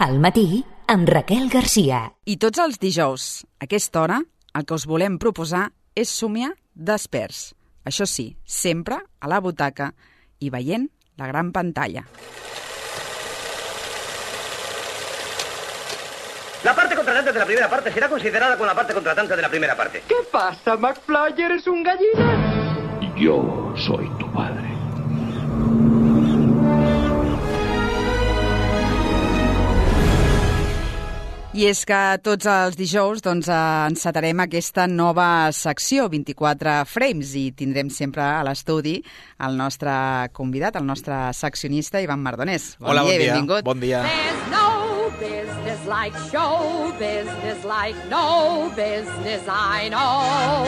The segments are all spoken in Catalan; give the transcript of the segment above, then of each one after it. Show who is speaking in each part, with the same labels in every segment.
Speaker 1: Al matí, amb Raquel Garcia.
Speaker 2: I tots els dijous, a aquesta hora, el que us volem proposar és somiar desperts. Això sí, sempre a la butaca i veient la gran pantalla.
Speaker 3: La parte contratante de la primera parte será considerada con la parte contratante de la primera parte.
Speaker 4: ¿Qué pasa, McFly? ¿Eres un gallina?
Speaker 5: Yo soy tu padre.
Speaker 2: I és que tots els dijous encetarem aquesta nova secció, 24 frames, i tindrem sempre a l'estudi el nostre convidat, el nostre seccionista, Ivan Mardonés.
Speaker 6: Hola, bon dia.
Speaker 2: Benvingut.
Speaker 6: Bon dia.
Speaker 7: There's no business like show business like no business I know.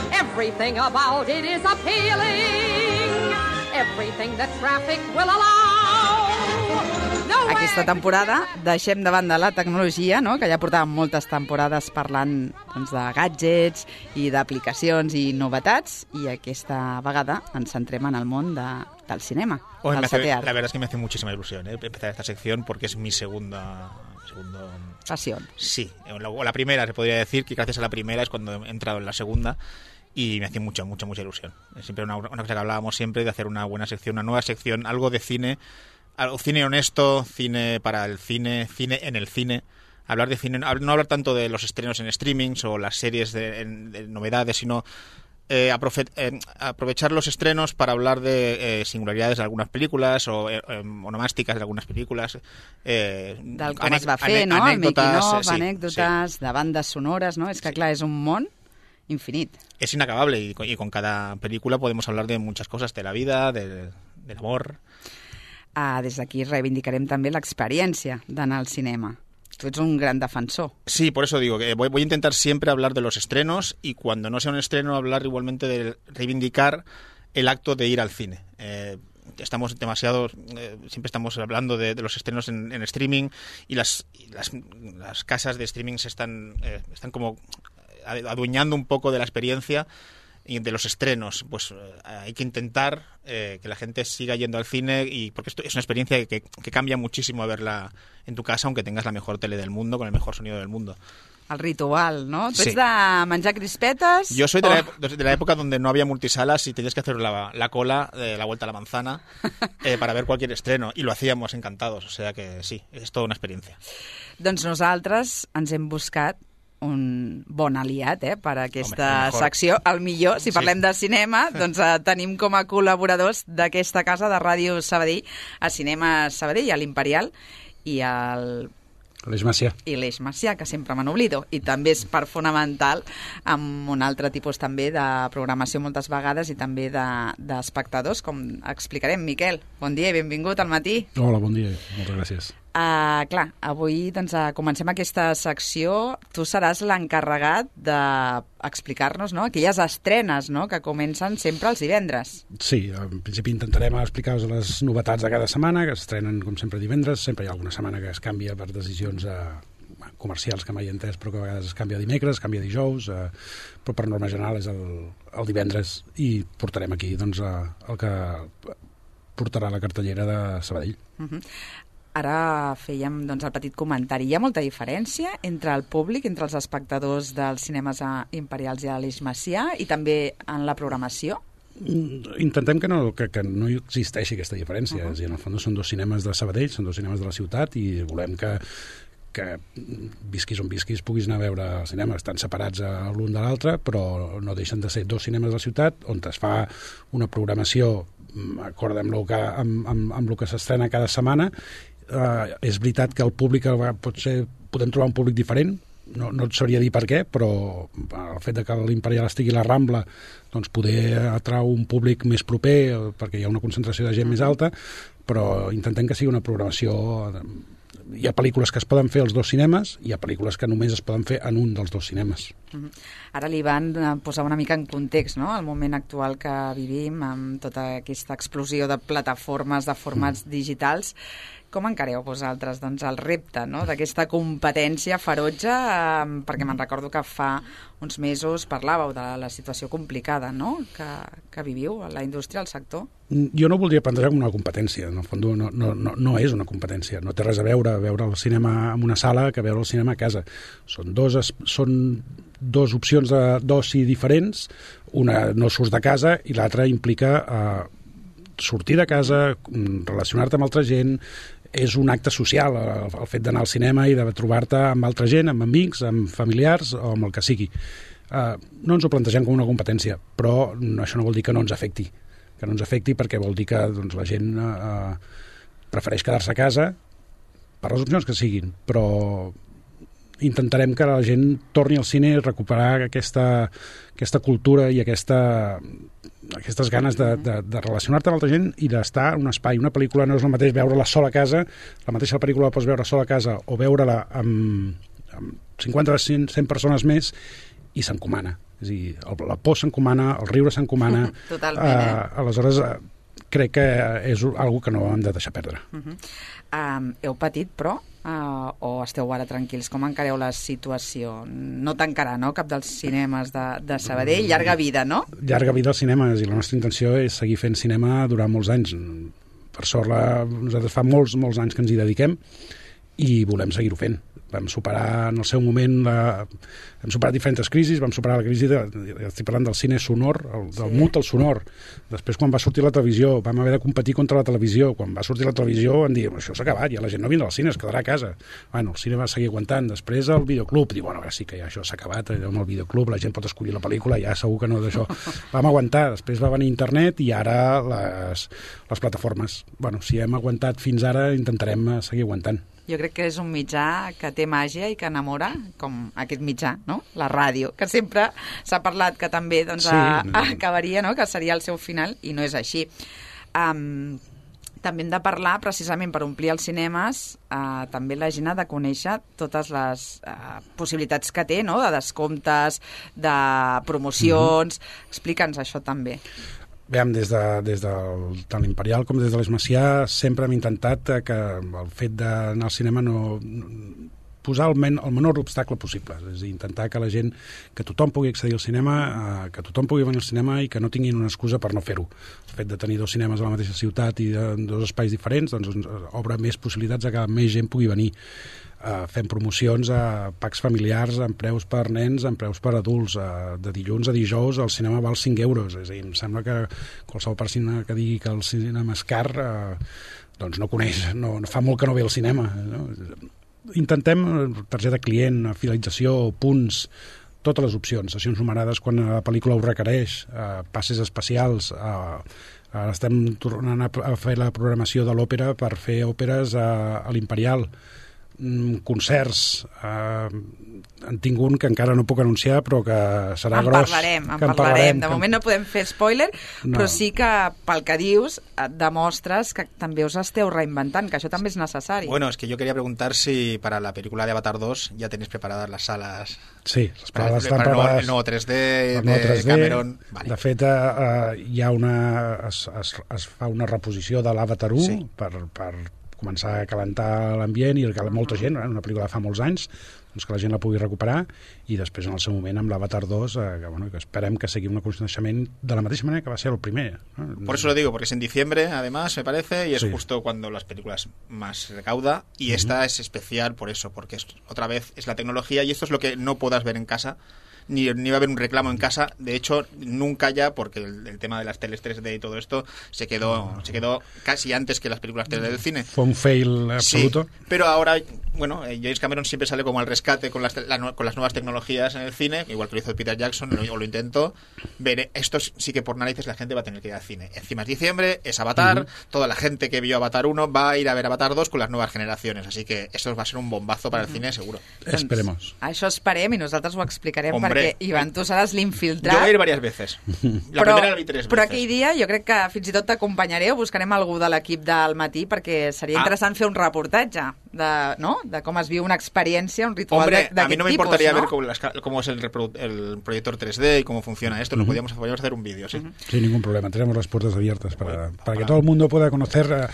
Speaker 7: Everything about it is appealing. Everything that traffic will allow.
Speaker 2: Aquesta temporada deixem de banda la tecnologia, no? Que ja portàvem moltes temporades parlant de gadgets i d'aplicacions i novetats, i aquesta vegada ens centrem en el món del cinema, del setè art.
Speaker 6: La verdad es que me hace muchísima ilusión empezar esta sección porque es mi segundo...
Speaker 2: Pasión.
Speaker 6: Sí, la primera, se podría decir que gracias a la primera es cuando he entrado en la segunda. Y me hace mucha ilusión. Es siempre una cosa que hablábamos siempre de hacer una buena sección, una nueva sección, algo de cine, algo cine honesto, cine para el cine, cine en el cine. Hablar de cine, no hablar tanto de los estrenos en streamings o las series de novedades, sino aprovechar los estrenos para hablar de singularidades de algunas películas o onomàstiques de algunes pel·lícules.
Speaker 2: Com es va fer, no? El making-of, anècdotes, de bandes sonores, no? És que, clar, és un món infinit.
Speaker 6: Es inacabable y con cada película podemos hablar de muchas cosas, de la vida, del amor.
Speaker 2: Des d'aquí reivindicarem també l'experiència d'anar al cinema. Tu ets un gran defensor.
Speaker 6: Sí, por eso digo que voy a intentar siempre hablar de los estrenos y cuando no sea un estreno hablar igualmente de reivindicar el acto de ir al cine. Estamos demasiado, siempre estamos hablando de los estrenos en streaming y las casas de streaming están como adueñando un poco de la experiencia y de los estrenos. Pues hay que intentar que la gente siga yendo al cine, y porque esto es una experiencia que cambia muchísimo a verla en tu casa, aunque tengas la mejor tele del mundo, con el mejor sonido del mundo.
Speaker 2: El ritual, ¿no? ¿Tú
Speaker 6: sí.
Speaker 2: ets de menjar crispetes?
Speaker 6: Yo soy de la época donde no había multisalas y tenías que hacer la cola de la vuelta a la manzana para ver cualquier estreno, y lo hacíamos encantados, o sea que sí, es toda una experiencia.
Speaker 2: Doncs nosaltres ens hem buscat un bon aliat per a aquesta secció. El millor, si parlem de cinema, doncs tenim com a col·laboradors d'aquesta casa de Ràdio Sabadell, a Cinema Sabadell, a l'Imperial, i
Speaker 8: l'Eix Macià.
Speaker 2: I l'Eix Macià, que sempre me n'oblido. I també és part fonamental amb un altre tipus també de programació moltes vegades i també d'espectadors, com explicarem. Miquel, bon dia i benvingut al matí.
Speaker 8: Hola, bon dia. Moltes gràcies.
Speaker 2: Clar, avui comencem aquesta secció. Tu seràs l'encarregat d'explicar-nos aquelles estrenes que comencen sempre els divendres.
Speaker 8: Sí, en principi intentarem explicar-vos les novetats de cada setmana, que s'estrenen com sempre divendres. Sempre hi ha alguna setmana que es canvia per decisions comercials que mai he entès, però que a vegades es canvia dimecres, es canvia dijous, però per norma general és el divendres, i portarem aquí el que portarà la cartellera de Sabadell.
Speaker 2: Ara fèiem el petit comentari. Hi ha molta diferència entre el públic, entre els espectadors dels cinemes imperials i a l'Eix Macià, i també en la programació?
Speaker 8: Intentem que no existeixi aquesta diferència. És a dir, en el fons són dos cinemes de Sabadell, són dos cinemes de la ciutat, i volem que visquis on visquis puguis anar a veure el cinema. Estan separats l'un de l'altre, però no deixen de ser dos cinemes de la ciutat on es fa una programació acord amb el que s'estrena cada setmana. És veritat que el públic podem trobar un públic diferent, no et sabria dir per què, però el fet que l'Imperial estigui a la Rambla, doncs poder atrau un públic més proper perquè hi ha una concentració de gent més alta, però intentem que sigui una programació. Hi ha pel·lícules que es poden fer als dos cinemes, i hi ha pel·lícules que només es poden fer en un dels dos cinemes.
Speaker 2: Ara l'Ivan posava una mica en context, no?, el moment actual que vivim, amb tota aquesta explosió de plataformes, de formats digitals. Com encareu vosaltres doncs, el repte, no?, d'aquesta competència ferotge? Perquè me'n recordo que fa uns mesos parlàveu de la situació complicada, no?, que viviu a la indústria, al sector.
Speaker 8: Jo no ho voldria plantejar com una competència. En el fons no és una competència. No té res a veure el cinema en una sala que veure el cinema a casa. Són dos opcions d'oci diferents. Una no surts de casa i l'altra implica sortir de casa, relacionar-te amb altra gent. És un acte social, el fet d'anar al cinema i de trobar-te amb altra gent, amb amics, amb familiars o amb el que sigui. No ens ho plantegem com una competència, però això no vol dir que no ens afecti. Que no ens afecti perquè vol dir que doncs, la gent prefereix quedar-se a casa per les opcions que siguin, però intentarem que la gent torni al cine i recuperar aquesta cultura i aquestes ganes de relacionar-te amb altra gent i d'estar en un espai. Una pel·lícula no és el mateix veure-la sola a casa, la mateixa pel·lícula la pots veure sola a casa o veure-la amb 50 o 100 persones més i s'encomana. És a dir, la por s'encomana, el riure s'encomana.
Speaker 2: Totalment,
Speaker 8: aleshores, crec que és algo que no hem de deixar perdre.
Speaker 2: Heu patit, però? O esteu ara tranquils? Com encareu la situació? No tancarà, no?, cap dels cinemes de Sabadell? Llarga vida, no?
Speaker 8: Llarga vida als cinemes, i la nostra intenció és seguir fent cinema durant molts anys. Per sort, nosaltres fa molts anys que ens hi dediquem i volem seguir-ho fent. Vam superar en el seu moment hem superat diferents crisis, vam superar la crisi estic parlant del cine sonor, del mut al sonor. Després, quan va sortir la televisió, vam haver de competir contra la televisió. Quan va sortir la televisió vam dir, això s'ha acabat, ja la gent no vindrà al cine, es quedarà a casa. Bueno, el cine va seguir aguantant. Després el videoclub, diu, bueno, ara sí que ja això s'ha acabat, amb el videoclub la gent pot escollir la pel·lícula, ja segur que no d'això. Vam aguantar, després va venir internet i ara les plataformes. Bueno, si hem aguantat fins ara, intentarem seguir aguantant.
Speaker 2: Jo crec que és un mitjà que té màgia i que enamora, com aquest mitjà, no?, la ràdio, que sempre s'ha parlat que també doncs, acabaria, no?, que seria el seu final, i no és així. També hem de parlar, precisament per omplir els cinemes, també la gent ha de conèixer totes les possibilitats que té, no?, de descomptes, de promocions. Explica'ns això també.
Speaker 8: Veiem, des de l'Imperial com des de l'Esmacià sempre hem intentat que el fet d'anar al cinema no posar el menor obstacle possible, és a dir, intentar que la gent, que tothom pugui accedir al cinema, que tothom pugui venir al cinema i que no tinguin una excusa per no fer-ho. El fet de tenir dos cinemes a la mateixa ciutat i en dos espais diferents doncs obre més possibilitats a que més gent pugui venir. Fem promocions a packs familiars amb preus per nens, amb preus per adults. De dilluns a dijous el cinema val 5 euros. És a dir, em sembla que qualsevol persona que digui que el cinema és car doncs no coneix, no fa molt que no ve al cinema. No? Intentem targeta client, fidelització, punts, totes les opcions, sessions numerades quan la pel·lícula ho requereix, passes especials. Ara estem tornant a fer la programació de l'òpera per fer òperes a l'Imperial. Concerts, en tinc un que encara no puc anunciar però que serà gros.
Speaker 2: En parlarem. De moment no podem fer spoiler, però sí que pel que dius et demostres que també us esteu reinventant, que això també és necessari.
Speaker 6: Bueno, es que yo quería preguntar si para la película de Avatar 2 ya tenéis preparadas las salas.
Speaker 8: Sí, les salas estan preparades.
Speaker 6: El nuevo 3D de Cameron. Vale.
Speaker 8: De fet, hi ha es fa una reposició de l'Avatar 1 per començar a calentar l'ambient i que molta gent, una pel·lícula fa molts anys, doncs que la gent la pugui recuperar, i després en el seu moment amb l'Avatar 2 que esperem que sigui un coneixement de la mateixa manera que va ser el primer, ¿no?
Speaker 6: Por eso lo digo, porque es en diciembre además me parece, y es justo cuando las películas más recauda, y esta es especial por eso, porque otra vez es la tecnología y esto es lo que no puedas ver en casa. Ni va a haber un reclamo en casa, de hecho nunca ya, porque el tema de las teles 3D y todo esto se quedó casi antes que las películas 3D del cine.
Speaker 8: Fue un fail absoluto.
Speaker 6: Sí, pero ahora, bueno, James Cameron siempre sale como al rescate con las nuevas tecnologías en el cine, igual que lo hizo Peter Jackson o lo intentó. Esto sí que por narices la gente va a tener que ir al cine. Encima es diciembre, es Avatar, toda la gente que vio Avatar 1 va a ir a ver Avatar 2 con las nuevas generaciones, así que esto va a ser un bombazo para el cine seguro.
Speaker 8: Esperemos.
Speaker 2: Això esperem i nosaltres ho explicarem. Perquè, Ivan, tu seràs l'infiltrat.
Speaker 6: Jo voy a ir varias veces. La primera la vi 3 veces.
Speaker 2: Però aquell dia jo crec que fins i tot t'acompanyaré o buscarem algú de l'equip del matí perquè seria interessant fer un reportatge de com es viu una experiència, un ritual d'aquest tipus.
Speaker 6: A mí no me importaría ver cómo es el proyector 3D y cómo funciona esto. Podríamos hacer un vídeo, sí.
Speaker 8: Sin ningún problema. Tenemos las puertas abiertas para que todo el mundo pueda conocer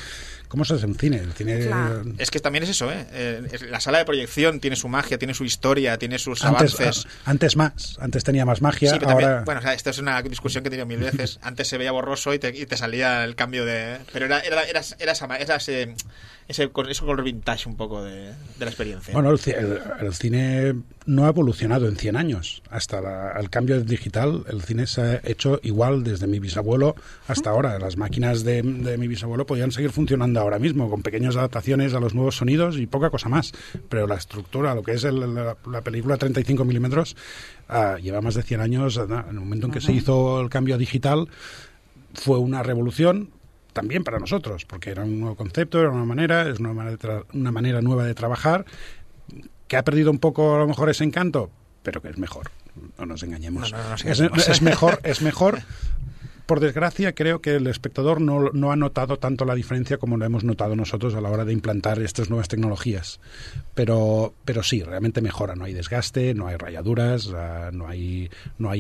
Speaker 8: ¿Cómo se hace un cine? El cine...
Speaker 6: Es que también es eso, la sala de proyección tiene su magia, tiene su historia, tiene sus avances.
Speaker 8: Antes tenía más magia,
Speaker 6: sí, pero
Speaker 8: ahora...
Speaker 6: También, bueno, o sea, esto es una discusión que he tenido mil veces. Antes se veía borroso y te salía el cambio de... Pero era ese color vintage un poco de la experiencia.
Speaker 8: Bueno, el cine no ha evolucionado en 100 años. Hasta el cambio digital, el cine se ha hecho igual desde mi bisabuelo hasta ahora. Las máquinas de mi bisabuelo podían seguir funcionando ahora mismo, con pequeñas adaptaciones a los nuevos sonidos y poca cosa más. Pero la estructura, lo que es la película 35 milímetros, lleva más de 100 años. En el momento en que se hizo el cambio digital, fue una revolución también para nosotros, porque era un nuevo concepto, era una manera nueva de trabajar, que ha perdido un poco a lo mejor ese encanto, pero que es mejor. No nos engañemos. Es mejor. Por desgracia, creo que el espectador no ha notado tanto la diferencia como lo hemos notado nosotros a la hora de implantar estas nuevas tecnologías. Pero sí, realmente mejora. No hay desgaste, no hay rayaduras, no hay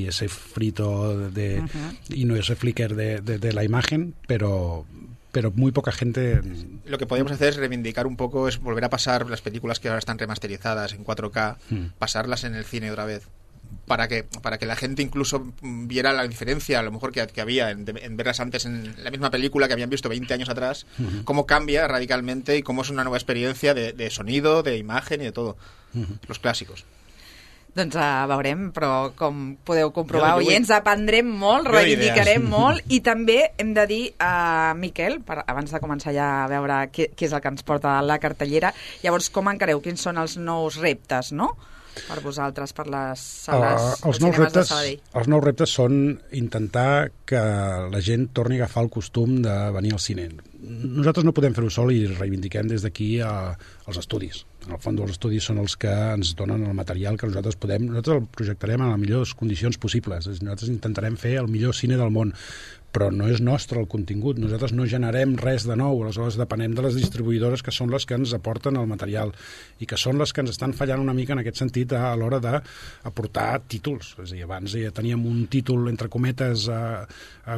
Speaker 8: ese frito y no ese flicker de la imagen, pero muy poca gente...
Speaker 6: Lo que podemos hacer es reivindicar un poco, es volver a pasar las películas que ahora están remasterizadas en 4K, pasarlas en el cine otra vez. Para que la gente incluso viera la diferencia, a lo mejor que había en verlas antes en la misma película que habían visto 20 años atrás, cómo cambia radicalmente y cómo es una nueva experiencia de sonido, de imagen y de todo. Los clàssicos.
Speaker 2: Doncs veurem, però com podeu comprovar, oients, aprendrem molt, reivindicarem molt, i també hem de dir a Miquel, abans de començar ja a veure què és el que ens porta a la cartellera, llavors com encareu, quins són els nous reptes, no?, per vosaltres, per les sales de cinemes de Sabadell?
Speaker 8: Els nous reptes són intentar que la gent torni a agafar el costum de venir al cine. Nosaltres no podem fer-ho sol i reivindiquem des d'aquí els estudis. En el fons, els estudis són els que ens donen el material que nosaltres el projectarem en les millors condicions possibles. Nosaltres intentarem fer el millor cine del món, però no és nostre el contingut. Nosaltres no generem res de nou, aleshores depenem de les distribuïdores, que són les que ens aporten el material i que són les que ens estan fallant una mica en aquest sentit a l'hora d'aportar títols. És a dir, abans ja teníem un títol, entre cometes,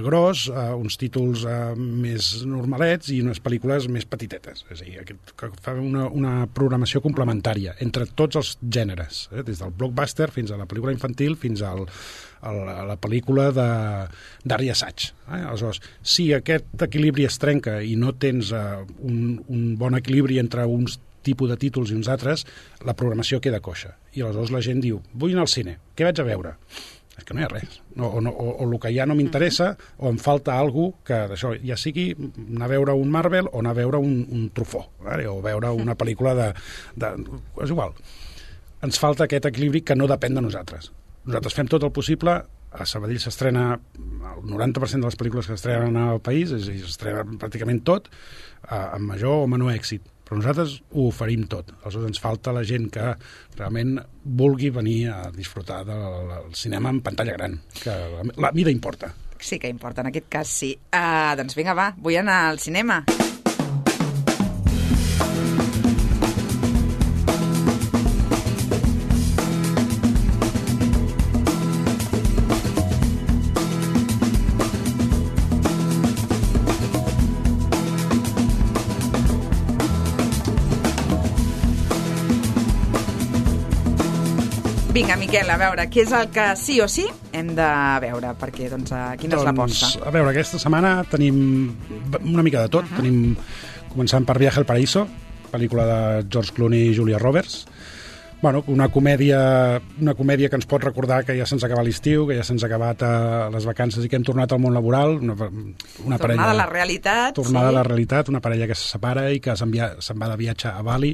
Speaker 8: gros, uns títols més normalets i unes pel·lícules més petitetes. És a dir, que fa una programació complementària entre tots els gèneres, des del blockbuster fins a la pel·lícula infantil fins a la pel·lícula d'art i assaig. Aleshores, si aquest equilibri es trenca i no tens un bon equilibri entre uns tipus de títols i uns altres, la programació queda coixa. I aleshores la gent diu, vull anar al cine, què vaig a veure? És que no hi ha res. O el que ja no m'interessa, o em falta alguna cosa que d'això, ja sigui anar a veure un Marvel o anar a veure un Truffaut, o veure una pel·lícula és igual. Ens falta aquest equilibri que no depèn de nosaltres. Nosaltres fem tot el possible. A Sabadell s'estrena el 90% de les pel·lícules que s'estrenen al país, és a dir, s'estrena pràcticament tot, amb major o menor èxit. Però nosaltres ho oferim tot. Aleshores ens falta la gent que realment vulgui venir a disfrutar del cinema en pantalla gran, que la mida importa.
Speaker 2: Sí que importa, en aquest cas sí. Doncs vinga, va, vull anar al cinema. Vinga, Miquel, a veure, què és el que sí o sí hem de veure? Perquè, doncs, quina és l'aposta?
Speaker 8: A veure, aquesta setmana tenim una mica de tot. Tenim, començant per Viaje al Paraíso, pel·lícula de George Clooney i Julia Roberts. Bueno, una comèdia que ens pot recordar que ja se'ns acaba l'estiu, que ja se'ns acabat les vacances i que hem tornat al món laboral. Una parella,
Speaker 2: tornada a la realitat.
Speaker 8: Tornada a la realitat, una parella que se separa i que se'n va de viatge a Bali,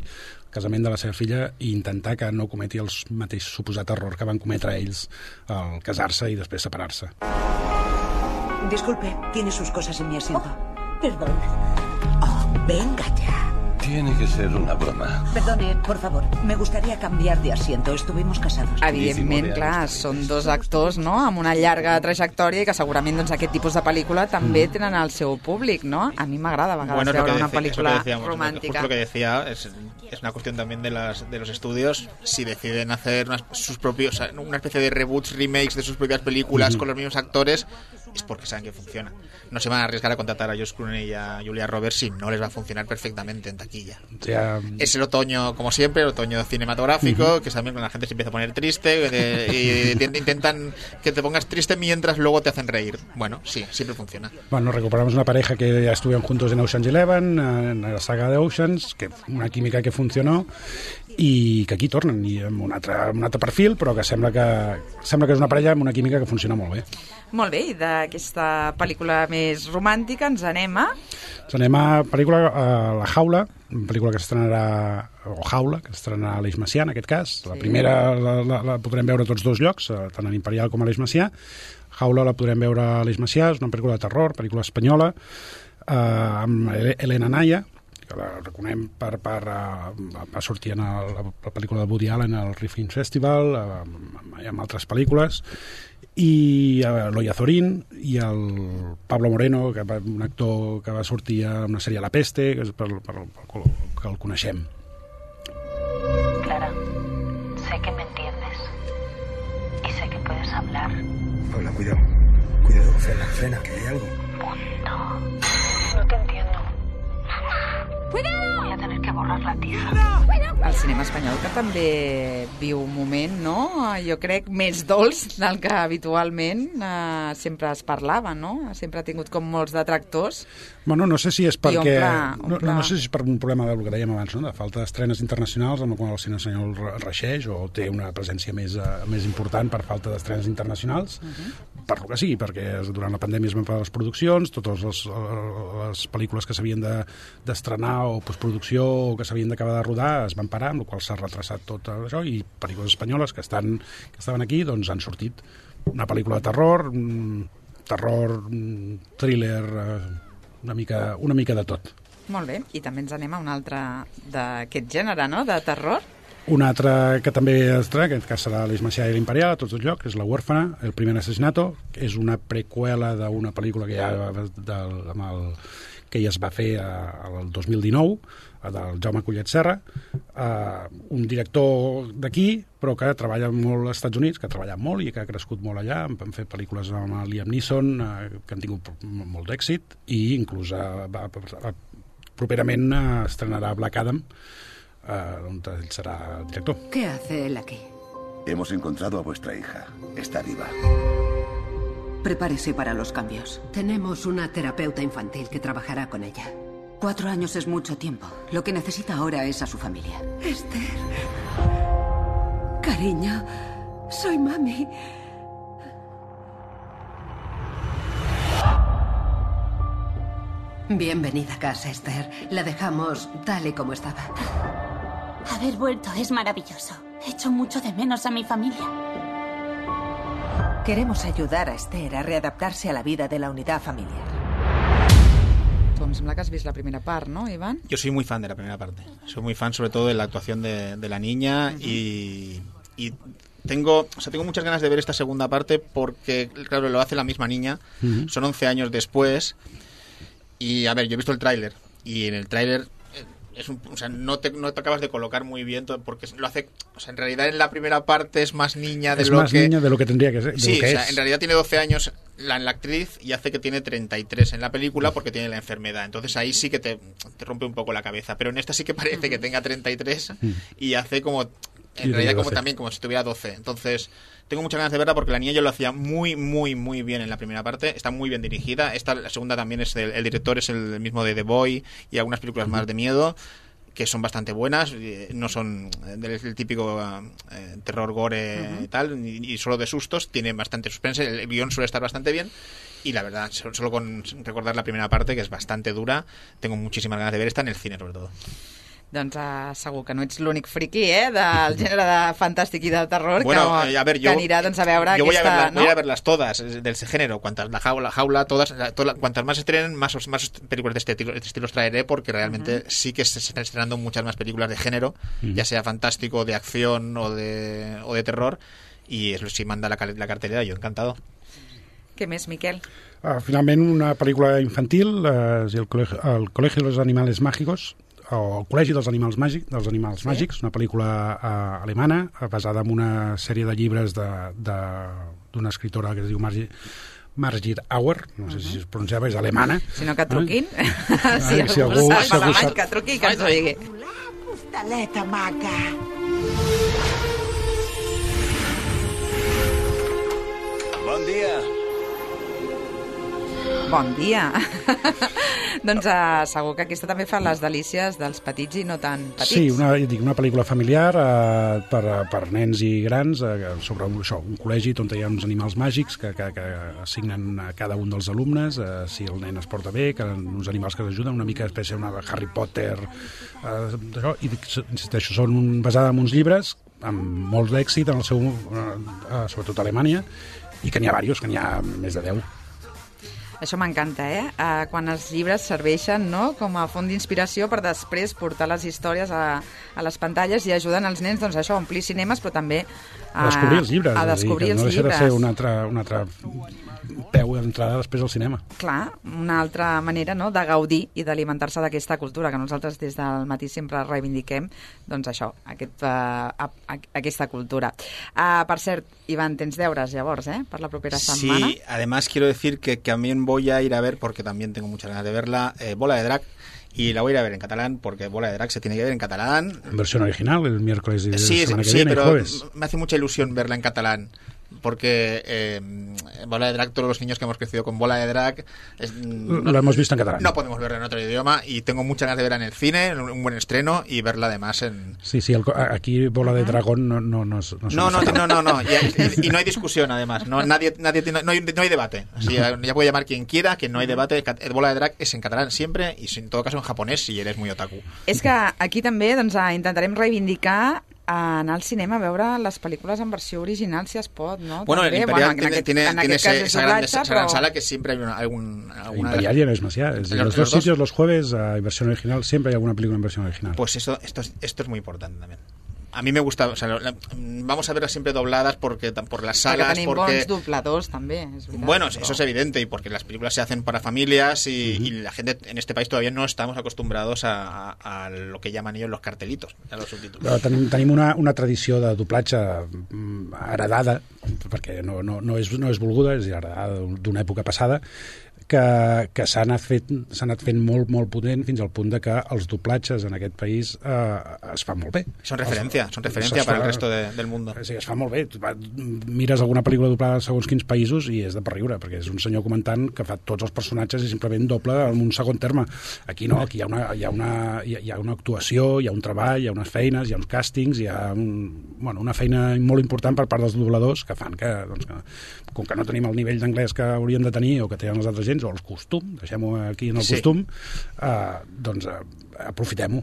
Speaker 8: casament de la seva filla, i intentar que no cometi el mateix suposat error que van cometre ells al casar-se i després separar-se.
Speaker 9: Disculpe, tiene sus cosas en mi asiento. Perdón. Oh, venga ya.
Speaker 5: Tiene que ser una broma.
Speaker 9: Perdone, por favor, me gustaría cambiar de asiento. Estuvimos casados.
Speaker 2: Evidentment, clar, són dos actors, no?, amb una llarga trajectòria i que segurament, doncs, aquest tipus de pel·lícula també tenen el seu públic, no? A mi m'agrada a vegades veure una pel·lícula romàntica.
Speaker 6: Justo lo que decía, es una cuestión también de los estudios, si deciden hacer sus propios, una especie de reboots, remakes de sus propias películas con los mismos actores, es porque saben que funciona. No se van a arriesgar a contratar a George Clooney y a Julia Roberts si no les va a funcionar perfectamente en taquilla. Es el otoño, como siempre, el otoño cinematográfico, que es también cuando la gente se empieza a poner triste y intentan que te pongas triste mientras luego te hacen reír. Bueno, sí, siempre funciona.
Speaker 8: Bueno, recuperamos una pareja que ya estuvieron juntos en Ocean's 11, en la saga de Oceans, que una química que funcionó, i que aquí tornen i amb un altre perfil, però que sembla que és una parella amb una química que funciona molt bé.
Speaker 2: Molt bé, i d'aquesta pel·lícula més romàntica ens anem a...
Speaker 8: pel·lícula La Jaula, una pel·lícula que s'estrenarà, o Jaula, que s'estrenarà a l'Eix Macià, en aquest cas. La primera la podrem veure a tots dos llocs, tant a l'Imperial com a l'Eix Macià. Jaula la podrem veure a l'Eix Macià, és una pel·lícula de terror, pel·lícula espanyola, amb Elena Naya, que la reconem va sortir en la pel·lícula de Woody Allen al Riffin Festival, amb altres pel·lícules, i l'Oya Zorín i el Pablo Moreno, que un actor que va sortir a una sèrie La Peste, que és que el coneixem.
Speaker 10: Clara, sé que me entiendes y sé que puedes hablar.
Speaker 11: Paula, cuidado, frena, que hay algo.
Speaker 10: Punto. No te entiendo.
Speaker 7: ¡Cuidado!
Speaker 10: Voy a tener que borrar la tiza.
Speaker 2: El cinema espanyol, que també viu un moment, no? Jo crec més dolç del que habitualment sempre es parlava, no? Sempre ha tingut com molts detractors.
Speaker 8: Bueno, no sé si és perquè...
Speaker 2: Omple.
Speaker 8: No sé si és per un problema del que dèiem abans, no? De falta d'estrenes internacionals, amb el qual el cinema espanyol reixeix o té una presència més important per falta d'estrenes internacionals, per lo que sigui, perquè durant la pandèmia es van parar les produccions, totes les pel·lícules que s'havien d'estrenar o postproducció o que s'havien d'acabar de rodar es van parar, amb la qual s'ha retrasat tot això, i pel·lícules espanyoles que estaven aquí doncs han sortit. Una pel·lícula de terror, thriller, una mica de tot.
Speaker 2: Molt bé, i també ens anem a un altre d'aquest gènere, no?, de terror.
Speaker 8: Un altre que també estrena, que en aquest cas serà l'Eix Macià i l'Imperial, a tots els llocs, és La huérfana, el primer assassinato, que és una preqüela d'una pel·lícula que ja es va fer el 2019, del Jaume Collet Serra, un director d'aquí, però que treballa molt als Estats Units, que ha treballat molt i que ha crescut molt allà, han fet pel·lícules amb Liam Neeson, que han tingut molt d'èxit, i inclús properament estrenarà Black Adam, on él será director.
Speaker 9: ¿Qué hace él aquí?
Speaker 5: Hemos encontrado a vuestra hija. Está viva.
Speaker 9: Prepárese para los cambios. Tenemos una terapeuta infantil que trabajará con ella. 4 años es mucho tiempo. Lo que necesita ahora es a su familia. Esther. Cariño, soy mami. Bienvenida a casa, Esther. La dejamos tal y como estaba.
Speaker 12: Haber vuelto es maravilloso. Echo mucho de menos a mi familia.
Speaker 9: Queremos ayudar a Esther a readaptarse a la vida de la unidad familiar.
Speaker 2: Tu em sembla que has vist la primera part, ¿no, Iván?
Speaker 6: Yo soy muy fan de la primera parte. Soy muy fan sobre todo de la actuación de la niña y tengo muchas ganas de ver esta segunda parte porque, claro, lo hace la misma niña. Son 11 años después. Y, a ver, yo he visto el tráiler y en el tráiler no te acabas de colocar muy bien porque lo hace, en realidad en la primera parte es más niña de
Speaker 8: niña de lo que tendría que ser.
Speaker 6: Sí, en realidad tiene 12 años la actriz y hace que tiene 33 en la película porque tiene la enfermedad. Entonces ahí sí que te rompe un poco la cabeza, pero en esta sí que parece que tenga 33 y hace como en realidad como si tuviera 12. Entonces tengo muchas ganas de verla porque la niña yo lo hacía muy, muy, muy bien en la primera parte. Está muy bien dirigida. La segunda también es el director es el mismo de The Boy y algunas películas más de miedo que son bastante buenas. No son del típico terror gore y tal, y solo de sustos. Tiene bastante suspense. El guión suele estar bastante bien. Y la verdad, solo con recordar la primera parte, que es bastante dura, tengo muchísimas ganas de ver esta en el cine, sobre todo.
Speaker 2: Doncs segur que no ets l'únic friqui del gènere de fantàstic i de terror que anirà doncs, a veure
Speaker 6: yo
Speaker 2: aquesta...
Speaker 6: voy a verlas todas del género, la jaula, todas, cuantas más estrenen, más películas de este estilo os traeré, porque realmente sí que se están estrenando muchas más películas de género, ya sea fantástico, de acción o de terror, y eso sí manda la cartelera, yo encantado.
Speaker 2: Què més, Miquel?
Speaker 8: Finalment, una pel·lícula infantil, el Colegio de los Animales Mágicos, o el Col·legi dels Animals Màgics, una pel·lícula alemana basada en una sèrie de llibres d'una escritora que es diu Margit Auer, no sé si es pronunciava, és alemana.
Speaker 2: Si no, que truquin.
Speaker 8: Si algú sap,
Speaker 2: que truqui i que ens ho digui.
Speaker 13: Hostaleta maca.
Speaker 5: Bon dia.
Speaker 2: Bon dia. Doncs segur que aquesta també fa les delícies dels petits i no tan petits.
Speaker 8: Sí, una pel·lícula familiar per nens i grans sobre un col·legi on hi ha uns animals màgics que assignen a cada un dels alumnes, si el nen es porta bé, que uns animals que t'ajuden, una mica espècie de Harry Potter, i insisteixo, són basades en uns llibres amb molt d'èxit en el seu, sobretot a Alemanya, i que n'hi ha diversos, que n'hi ha més de 10.
Speaker 2: Això m'encanta, quan els llibres serveixen, no?, com a font d'inspiració per després portar les històries a les pantalles i ajuden els nens, doncs això, a omplir cinemes, però també
Speaker 8: a descobrir els llibres.
Speaker 2: A descobrir els llibres.
Speaker 8: No deixa de ser un altre peu d'entrada després al cinema.
Speaker 2: Clar, una altra manera, no?, de gaudir i d'alimentar-se d'aquesta cultura que nosaltres des del matí sempre reivindiquem, doncs això, aquesta cultura. Per cert, Ivan, tens deures llavors, per la propera setmana?
Speaker 6: Sí, además quiero decir que también voy a ir a ver, porque también tengo muchas ganas de verla, Bola de Drac, y la voy a ir a ver en catalán, porque Bola de Drac se tiene que ver en catalán.
Speaker 8: En versión original, el miércoles y
Speaker 6: sí,
Speaker 8: semana que
Speaker 6: sí,
Speaker 8: viene,
Speaker 6: pero
Speaker 8: jueves.
Speaker 6: Me hace mucha ilusión verla en catalán, porque Bola de Drac, todos los niños que hemos crecido con Bola de Drac
Speaker 8: lo hemos visto en catalán.
Speaker 6: No podemos verla en otro idioma, y tengo muchas ganas de verla en el cine, en un buen estreno, y verla además en...
Speaker 8: Sí, aquí Bola de Dragón no
Speaker 6: no, y no hay discusión además, no hay debate. O sea, ya puede llamar quien quiera, que no hay debate. Bola de Drac es en catalán siempre, y en todo caso en japonés si eres muy otaku.
Speaker 2: És que aquí també intentarem reivindicar anar al cinema a veure les pel·lícules en versió original, si es pot, ¿no?
Speaker 6: Bueno,
Speaker 2: també,
Speaker 6: el Imperial
Speaker 2: tiene
Speaker 6: esa gran sala que siempre hay alguna...
Speaker 8: Imperial ya no es más ya. En los dos sitios, los jueves, en versión original, siempre hay alguna película en versión original.
Speaker 6: Pues esto es muy importante también. A mí me gusta, o sea, vamos a verlas siempre dobladas por las salas,
Speaker 2: tenim bons dobladors també, és veritat.
Speaker 6: Bueno, eso es evidente, y porque las películas se hacen para familias y la gente en este país todavía no estamos acostumbrados a lo que llaman ellos los cartelitos, a los subtítulos.
Speaker 8: Però tenim una tradició de doblatge heredada, perquè no és volguda, és heredada d'una època passada, que s'ha anat fent molt, molt potent fins al punt de que els doblatges en aquest país es fan molt bé.
Speaker 6: Son referencia para el resto del mundo.
Speaker 8: Sí, es fa molt bé. Mires alguna pel·lícula doblada segons quins països i és de per riure, perquè és un senyor comentant que fa tots els personatges i simplement doble en un segon terme. Aquí no, aquí hi ha una actuació, hi ha un treball, hi ha unes feines, hi ha uns càstings, hi ha una feina molt important per part dels dobladors que fan que com que no tenim el nivell d'anglès que hauríem de tenir o que tenen els altres gens, o el costum, deixem-ho aquí en el costum, doncs aprofitem-ho.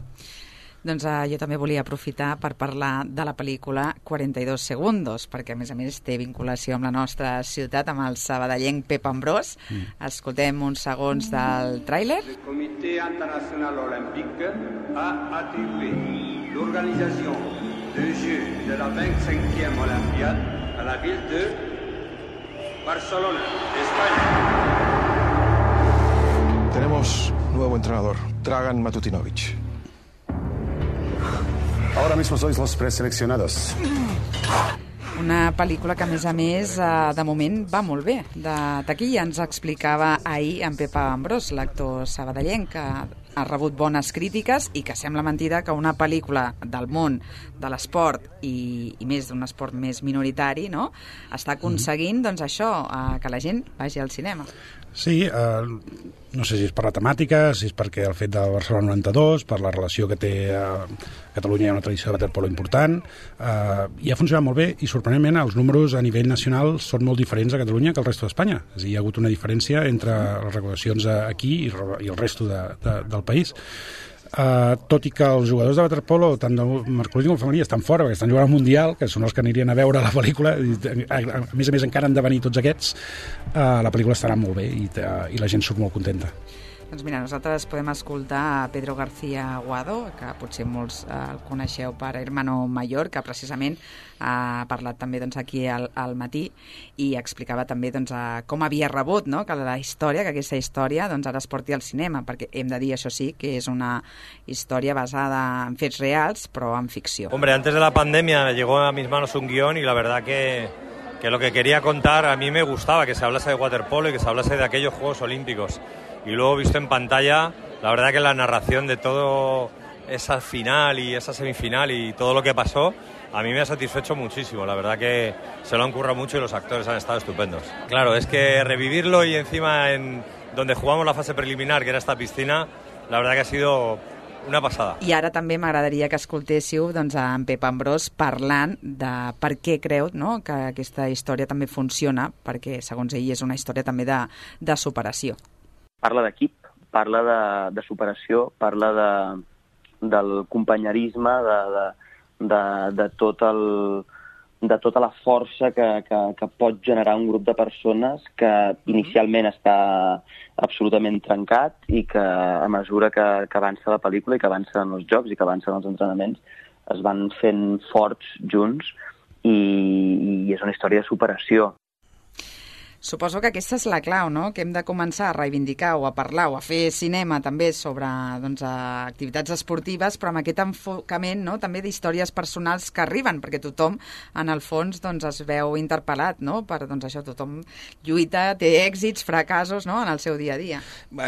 Speaker 2: Doncs jo també volia aprofitar per parlar de la pel·lícula 42 segundos, perquè a més té vinculació amb la nostra ciutat, amb el sabadellenc Pep Ambrós. Escoltem uns segons del tràiler.
Speaker 14: El Comitè Internacional Olímpic ha atribuït l'organització des Jeux de la 25e Olympiade a la ville de Barcelona, España.
Speaker 15: Tenemos nuevo entrenador, Dragan Matutinovic.
Speaker 16: Ahora mismo sois los preseleccionados.
Speaker 2: Una pel·lícula que, a més, de moment va molt bé. De taquilla ens explicava ahir en Pep Ambrós, l'actor sabadellenc, que ha rebut bones crítiques i que sembla mentida que una pel·lícula del món de l'esport i més d'un esport més minoritari, no?, està aconseguint, doncs això, que la gent vagi al cinema.
Speaker 8: Sí, no sé si és per la temàtica, si és perquè el fet de Barcelona 92, per la relació que té a Catalunya, hi ha una tradició de waterpolo important, i ha funcionat molt bé, i sorprenentment els números a nivell nacional són molt diferents a Catalunya que al resto d'Espanya. És a dir, hi ha hagut una diferència entre les recaudacions aquí i el resto del país. Tot i que els jugadors de waterpolo, tant del masculí com femení, estan fora, perquè estan jugant al Mundial, que són els que anirien a veure la pel·lícula, a més encara han de venir tots aquests, la pel·lícula estarà molt bé i la gent surt molt contenta.
Speaker 2: Doncs mira, nosaltres podem escoltar a Pedro García Guado, que potser molts el coneixeu per Hermano Mayor, que precisament ha parlat també aquí al matí i explicava també com havia rebut, no?, que aquesta història ara es porti al cinema, perquè hem de dir, això sí, que és una història basada en fets reals, però en ficció.
Speaker 17: Hombre, antes de la pandemia llegó a mis manos un guión y la verdad que que lo que quería contar, a mí me gustaba que se hablase de waterpolo y que se hablase de aquellos Juegos Olímpicos. Y luego visto en pantalla, la verdad que la narración de todo esa final y esa semifinal y todo lo que pasó, a mí me ha satisfecho muchísimo. La verdad que se lo han currado mucho y los actores han estado estupendos. Claro, es que revivirlo y encima en donde jugamos la fase preliminar, que era esta piscina, la verdad que ha sido una passada.
Speaker 2: I ara també m'agradaria que escoltéssiu doncs, en Pep Ambrós parlant de per què creu, no?, que aquesta història també funciona, perquè segons ell és una història també de superació.
Speaker 18: Parla d'equip, parla de superació, parla del companyerisme, de tota la força que pot generar un grup de persones que inicialment està absolutament trencat i que a mesura que avança la pel·lícula i que avancen els jocs i que avancen els entrenaments es van fent forts junts i és una història de superació.
Speaker 2: Suposo que aquesta és la clau, no?, que hem de començar a reivindicar o a parlar o a fer cinema també sobre doncs, activitats esportives, però amb aquest enfocament, no?, també d'històries personals que arriben, perquè tothom, en el fons, doncs, es veu interpel·lat, no?, per doncs, això, tothom lluita, té èxits, fracassos, ¿no?, en el seu día a día.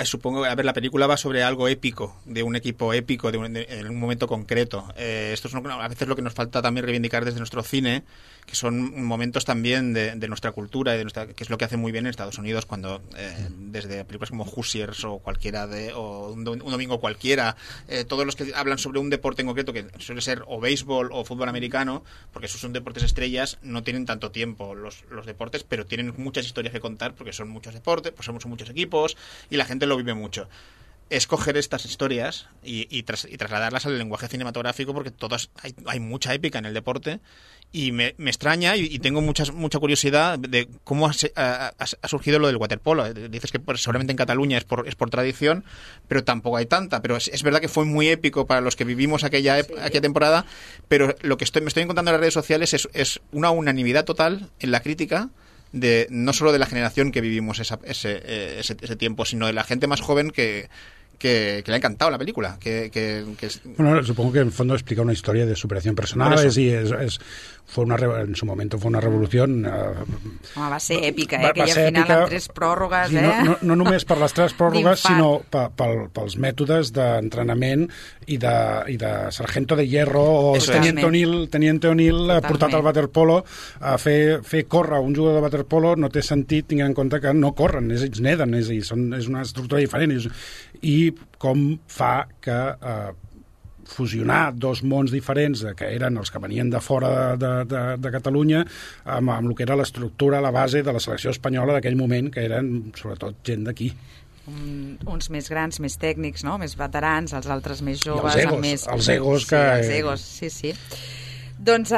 Speaker 6: Supongo, a ver, la película va sobre algo épico, de un equipo épico, en un momento concreto. Esto es a veces lo que nos falta también reivindicar desde nuestro cine, que son momentos también de nuestra cultura y que es lo que hace muy bien en Estados Unidos cuando desde películas como Hoosiers o cualquiera o un domingo cualquiera, todos los que hablan sobre un deporte en concreto, que suele ser o béisbol o fútbol americano, porque esos son deportes estrellas, no tienen tanto tiempo los deportes, pero tienen muchas historias que contar porque son muchos deportes, pues somos muchos equipos y la gente lo vive mucho. Es coger estas historias y trasladarlas al lenguaje cinematográfico, porque hay mucha épica en el deporte y me extraña y tengo mucha curiosidad de cómo ha surgido lo del waterpolo. Dices que seguramente en Cataluña es por tradición, pero tampoco hay tanta. Pero es verdad que fue muy épico para los que vivimos aquella temporada, pero lo que me estoy encontrando en las redes sociales es una unanimidad total en la crítica, no solo de la generación que vivimos ese tiempo, sino de la gente más joven que le ha encantado la película.
Speaker 8: Bueno, supongo que en el fondo explica una historia de superación personal en su momento fue una revolución.
Speaker 2: Va ser èpica, aquella final amb 3 pròrrogues.
Speaker 8: Sí, no només per les 3 pròrrogues, sinó pels mètodes d'entrenament i de sargento de hierro o teniente O'Neill portat al waterpolo a fer córrer un jugador de waterpolo no té sentit tenint en compte que no corren, ells neden, és una estructura diferent i com fa que fusionar 2 mons diferents que eren els que venien de fora de Catalunya amb el que era l'estructura, la base de la selecció espanyola d'aquell moment, que eren sobretot gent d'aquí.
Speaker 2: Uns més grans, més tècnics, no?, més veterans, els altres més joves.
Speaker 8: Els egos.
Speaker 2: Els egos, sí. Doncs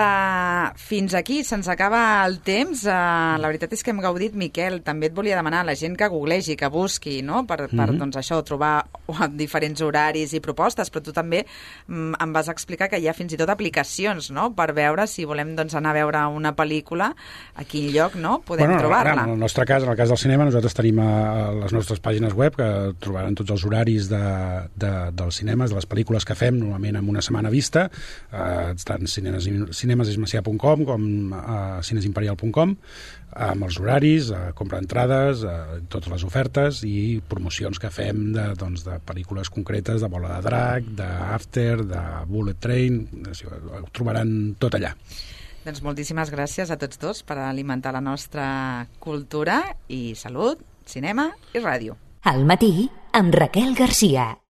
Speaker 2: fins aquí, se'ns acaba el temps. La veritat és que hem gaudit, Miquel. També et volia demanar a la gent que googlegi, que busqui, no?, per doncs això, trobar diferents horaris i propostes, però tu també em vas explicar que hi ha fins i tot aplicacions, no?, per veure si volem doncs, anar a veure una pel·lícula, a quin lloc, no?, podem trobar-la.
Speaker 8: En el nostre cas, en el cas del cinema, nosaltres tenim a les nostres pàgines web que trobaran tots els horaris dels cinemes, de les pel·lícules que fem, normalment amb una setmana vista, tant cinemesismacià.com com cinesimperial.com, amb els horaris, compra entrades, totes les ofertes i promocions que fem de pel·lícules concretes, de Bola de Drac, d'After, de Bullet Train, ho trobaran tot allà.
Speaker 2: Doncs moltíssimes gràcies a tots dos per alimentar la nostra cultura i salut, cinema i ràdio.
Speaker 1: Al matí amb Raquel Garcia.